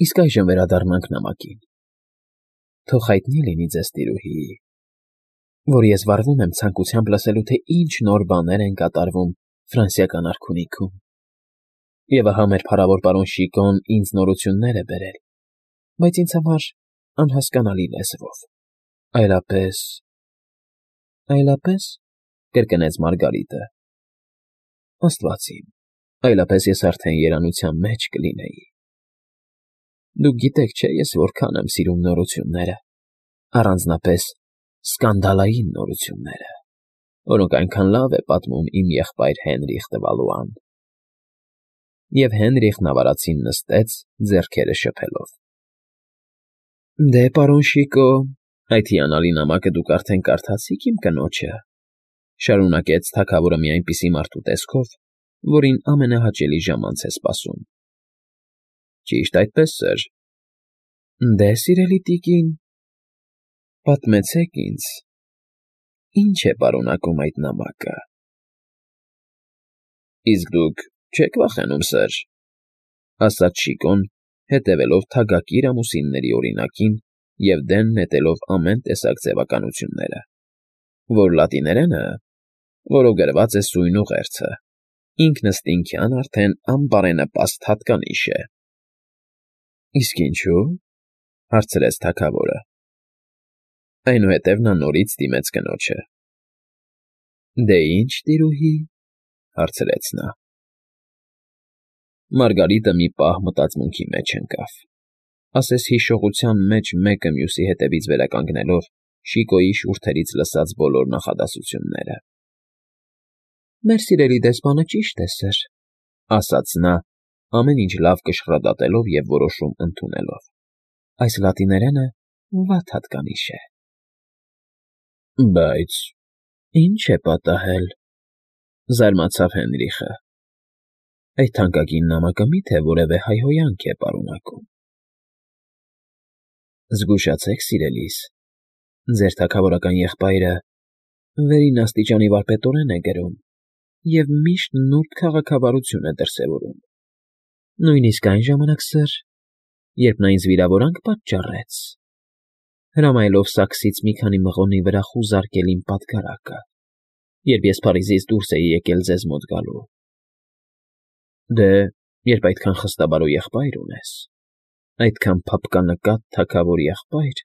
Իսկ այժմ վերադառնանք նամակին. թող հայտնի լինի ձեզ, տիրուհի, որ ես վարվում եմ ցանկությամբ լսելու, թե ինչ նոր բաներ են կատարվում ֆրանսիական արքունիքում, և ահա մեր փառավոր պարոն Շիկոն ինձ նորություններ է բերել, բայց ինձ համար անհասկանալի լեզվով, այլապես, կրկնեց Մարգարիտը, աստված իմ, այլապես ես արդեն երանության մեջ կլինեի։ Դուք գիտեք, չէ՞ ես որքան եմ սիրում նորությունները, առանձնապես սկանդալային նորությունները, որոնք այնքան լավ է պատմում իմ եղբայր Հենրիխ տվալուան։ Եվ Հենրիխն ավարածին նստեց, ձեռքերը շփելով։ Դե, պարոն Շիկո, այդ հիանալի նամակը դուք արդեն կարդացիք իմ կնոջը, շարունակեց թագավորը մի այնպիսի մարդու տեսքով, որին ամենահաճելի ժամանց է սպասում։ Ճիշտ այդպես, սըր։ Դե, սիրելի տիկին, պատմեցեք ինձ, ինչ է պարունակում այդ նամակը։ Իսկ դուք չեք վախենում, սըր, ասաց Շիկոն, հետևելով թագակիր ամուսինների օրինակին և դեն նետելով ամեն տեսակ ձևականությունները, որ լատիներենը, որով գրված է սույն ուղերձը, ինքնըստինքյան արդեն անբարենպաստ հատկանիշ է։ Իսկ ինչու՞, հարցրեց թագավորը։ Այնուհետև նա նորից դիմեց կնոջը։ Դե ինչ, տիրուհի, հարցրեց նա։ Մարգարիտը մի պահ մտածմունքի մեջ ընկավ, ասես հիշողության մեջ մեկը մյուսի հետևից վերականգնելով Շիկոյի շուրթերից լսած բոլոր նախադասությունները։ Մեր սիրելի դեսպանը ճիշտ է, սըր, ասաց նա, ամեն ինչ լավ կշռադատելով և որոշում ընդունելով։ Այս լատիներենը վատ հատկանիշ է։ Բայց ի՞նչ է պատահել, զարմացավ Հենրիխը։ Այդ թանկագին նամակը մի՞թե որևէ հայհոյանք է պարունակում։ Զգուշացեք, սիրելիս, ձեր թագավորական եղբայրը վերին աստիճանի վարպետորեն է գրում և միշտ նուրբ քաղաքավարություն է դրսևորում։ Նույնիսկ այն ժամանակ, սըր, երբ նա ինձ վիրավորանք պատճառեց, հրամայելով սաքսից մի քանի մղոնի վրա խուզարկել իմ պատգարակը, երբ ես Փարիզից դուրս էի եկել ձեզ մոտ գալու։ Դե, երբ այդքան խստաբարո եղբայր ունես, այդքան փափկանկատ թագավոր եղբայր,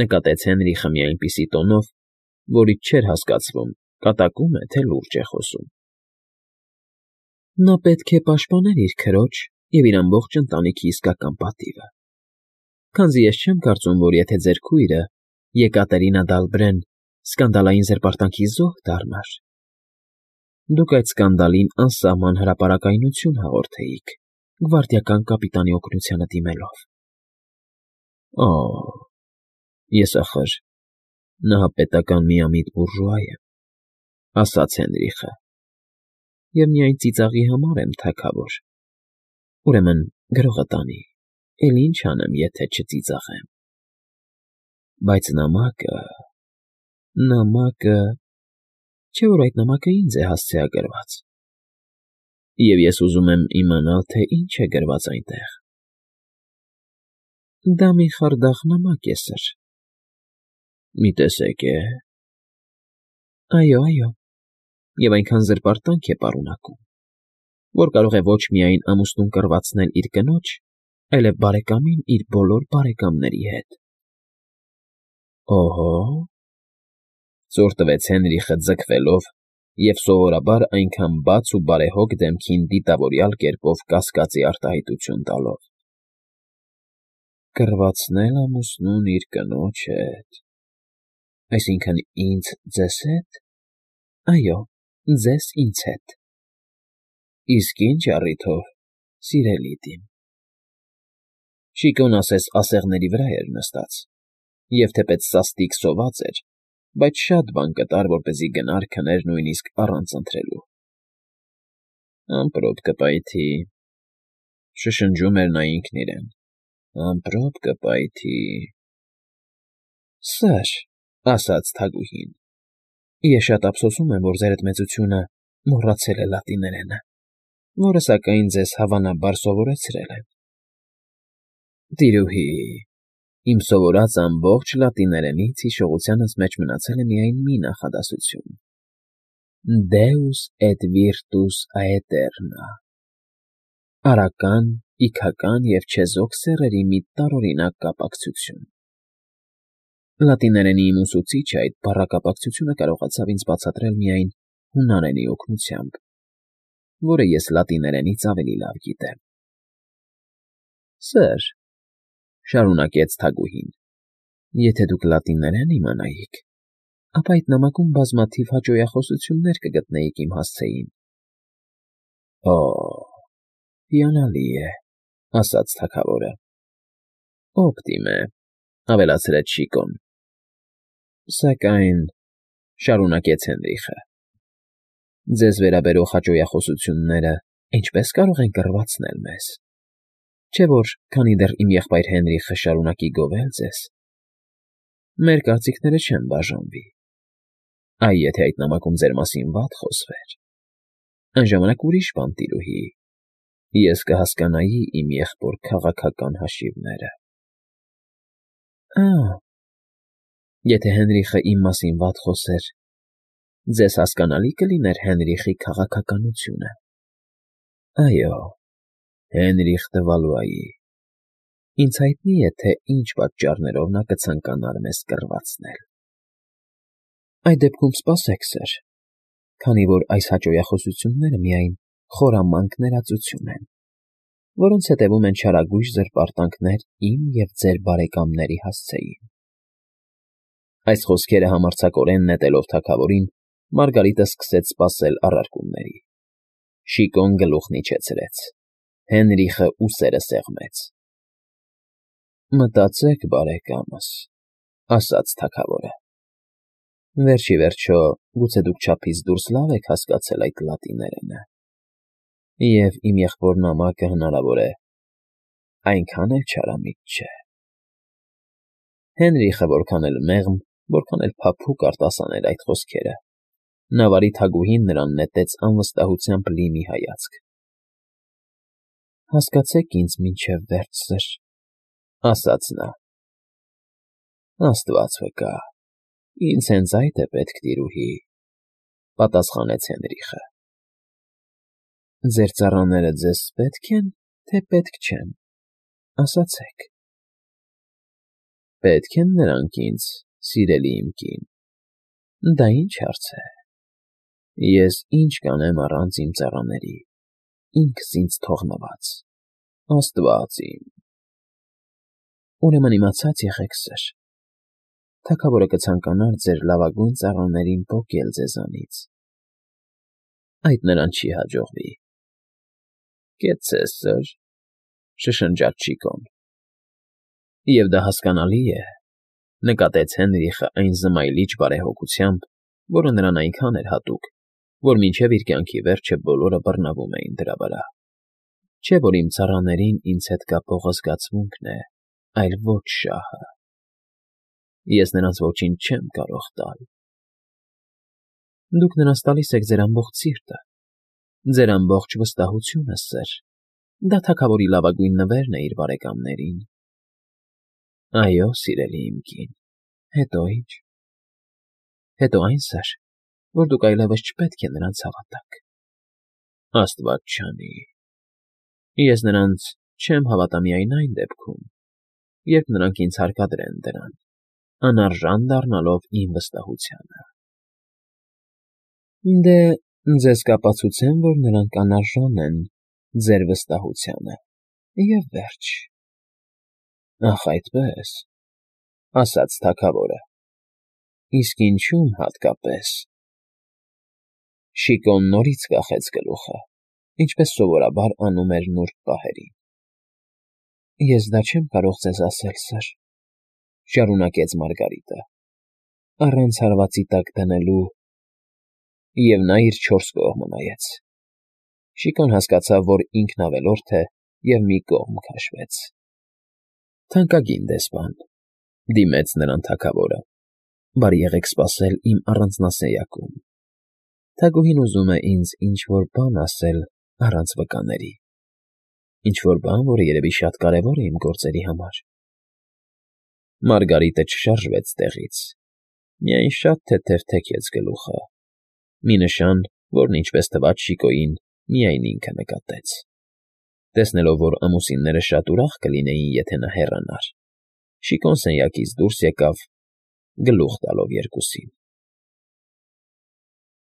նկատեց Հենրիխը մի այնպիսի տոնով, որից չէր հասկացվում կատակում է, թե լուրջ է խոսում։ Նա պետք է պաշտպաներ իր քրոջ և իր ամբողջ ընտանիքի իսկական պատիվը, քանզի ես չեմ կարծում, որ եթե ձեր քույրը Եկատերինա Դալբրեն սկանդալային զրպարտանքի զոհ դառնար, դուք այդ սկանդալին անսահման հրապարակայնություն հաղորդեիք գվարդիական կապիտանի օգնությանը դիմելով։ Ես ախր նահապետական միամիտ բուրժուա եմ, ասաց Հենրիխը, և միայն ծիծաղի համար եմ թագավոր, ուրեմն գրողը տանի, էլ ինչ անեմ, եթե չծիծաղեմ։ Բայց նամակը, չէ՞ որ այդ նամակը ինձ է հասցեագրված, և ես ուզում եմ իմանալ, թե ինչ է գրված այնտեղ։ Դա մի խարդախ նամակ է, սըր։ Մի տեսեք է։ Այո, և այնքան զրպարտանք է պարունակում, որ կարող է ոչ միայն ամուսնուն կռվածնել իր կնոջ, այլև բարեկամին իր բոլոր բարեկամների հետ։ Օհո՜, ծոր տվեց Հենրիխը ձգվելով և սովորաբար այնքան բաց ու բարեհոգ դեմքին դիտավորյալ կերպով կասկածի արտահայտություն տալով։ Կռվածնել ամուսնուն իր կնոջ հետ, այսինքն ինձ ձեզ հետ։ Այո, ձեզ ինձ հետ։ Իսկ ինչ առիթով, սիրելի դիմ։ Շիկոն ասես ասեղների վրա էր նստած, և թեպետ սաստիկ սոված էր, բայց շատ բան կտար, որպեսզի գնար քներ նույնիսկ առանց ընթրելու։ Ամպրոպ կպայթի, շշնջում էր նա ինքն իրեն, ամպրոպ կպայթի։ Սըր, ասաց թագուհին, ես շատ ափսոսում եմ, որ ձերդ մեծությունը մոռացել է լատիներենը, որը, սակայն, ձեզ հավանաբար սովորեցրել են։ Տիրուհի, իմ սովորած ամբողջ լատիներենից հիշողությանս մեջ մնացել է միայն մի նախադասություն. Deus et virtus aeterna. Արական, իգական և չեզոք սեռերի մի տարօրինակ կապակցություն։ Լատիներենի իմ ուսուցիչը այդ բառակապակցությունը կարողացավ ինձ բացատրել միայն հունարենի օգնությամբ, որը ես լատիներենից ավելի լավ գիտեմ։ Սըր, շարունակեց Թագուհին, եթե դուք լատիներեն իմանայիք, ապա այդ նամակում բազմաթիվ հաճոյախոսություններ կգտնեիք իմ հասցեին։ Օ, հիանալի է, ասաց թագավորը։ Օպտիմ է, ավելացրեց Շիկոն։ Սակայն, շարունակեց Հենրիխը, ձեզ վերաբերող հաճոյախոսությունները ինչպես կարող են կռվածնել մեզ, չէ՞ որ քանի դեռ իմ եղբայր Հենրիխը շարունակի գովել ձեզ, մեր կարծիքները չեն բաժանվի։ Այ եթե այդ նամակում ձեր մասին վատ խոսվեր, այն ժամանակ ուրիշ բան, տիրուհի, ես կհասկանայի իմ եղբոր քաղաքական հաշիվները։ Եթե Հենրիխը իմ մասին վատ խոսեր, ձեզ հասկանալի կլիներ Հենրիխի քաղաքականությունը։ Այո, Հենրիխ դը Վալուայի։ Ինձ հայտնի է, թե ինչ պատճառներով նա կցանկանար մեզ կռվածնել։ Այդ դեպքում սպասեք, սըր, քանի որ այս հաճոյախոսությունները միայն խորամանկ ներածություն են, որոնց հետևում են չարագույժ զրպարտանքներ իմ և ձեր բարեկամների հասցեին։ Այս խոսքերը համարձակորեն նետելով թագավորին, Մարգարիտը սկսեց սպասել առարկումների։ Շիկոն գլուխն իջեցրեց։ Հենրիխը ուսերը սեղմեց։ Մտածեք, բարեկամս, ասաց թագավորը։ Վերջ ի վերջո, գուցե դուք չափից դուրս լավ եք հասկացել այդ լատիներենը, և իմ եղբոր նամակը հնարավոր է այնքան էլ չարամիտ չէ։ Հենրիխը որքան էլ մեղմ, որքան էլ փափուկ արտասաներ այդ խոսքերը, նավարի թագուհին նրան նետեց անվստահությամբ լի մի հայացք։ Հասկացեք ինձ մինչև վերջ, սըր, ասաց նա։ Աստված վկա, ինձ հենց այդ է պետք, տիրուհի, պատասխանեց Հենրիխը։ Ձեր ծառաները ձեզ պետք են, թե պետք չեն, ասացեք։ Պետք են նրանք ինձ, սիրելի իմ կին, դա ինչ հարց է։ Ես ինչ կանեմ առանց իմ ծառաների, ինքս ինձ թողնված, Աստված իմ։ Ուրեմն իմացած եղեք, սըր, թագավորը կցանկանար ձեր լավագույն ծառաներին պոկել ձեզանից։ Այդ նրան չի հաջողվի։ Կեցցես, սըր, շշնջաց Շիկոն։ Եվ դա հասկանալի է, նկատեց Հենրիխը այն զմայլիչ բարեհոգությամբ, որը նրան այնքան էր հատուկ, որ մինչև իր կյանքի վերջը բոլորը բռնավում էին դրա վրա։ Չէ՞ որ իմ ծառաներին ինձ հետ կապող զգացմունքն է, այլ ոչ շահը։ Ես նրանց ոչինչ չեմ կարող տալ։ Դուք նրանց տալիս եք ձեր ամբողջ սիրտը, ձեր ամբողջ վստահությունը, սըր, դա թագավորի լավագույն նվերն է իր բարեկամներին։ Այո, սիրելի իմ կին, հետո ինչ։ Հետո այն, սըր, որ դուք այլևս չպետք է նրանց հավատաք։ Աստված չանի։ Ես նրանց չեմ հավատա միայն այն դեպքում, երբ նրանք ինձ հարկադրեն դրան, անարժան դառնալով իմ վստահությանը։ Դե, ձեզ կապացուցեմ, որ նրանք անարժան են ձեր վստահությանը, և վերջ։ Ախ, այդպես, ասաց թագավորը։ Իսկ ինչու՞մ հատկապես։ Շիկոն նորից կախեց գլուխը, ինչպես սովորաբար անում էր նուրբ պահերին։ Ես դա չեմ կարող ձեզ ասել, սըր, շարունակեց Մարգարիտը, առանց հարվածի տակ դնելու, և նա իր չորս կողմը նայեց։ Շիկոն հասկացավ, որ ինքն ավելորդ է, և մի կողմ քաշվեց։ Թանկագին դեսպան, դիմեց նրան թագավորը, բարի եղեք սպասել իմ առանձնասենյակում։ Թագուհին ուզում է ինձ ինչ֊որ բան ասել առանց վկաների։ Ինչ-որ բան, որը երևի շատ կարևոր է իմ գործերի համար։ Մարգարիտը չշարժվեց տեղից, միայն շատ թեթև թեքեց գլուխը, մի նշան, որն, ինչպես թվաց Շիկոյին, միայն ինքը նկատեց։ Տեսնելով, որ ամուսինները շատ ուրախ կլինեին, եթե նա հեռանար, Շիկոն սենյակից դուրս եկավ, գլուխ տալով երկուսին։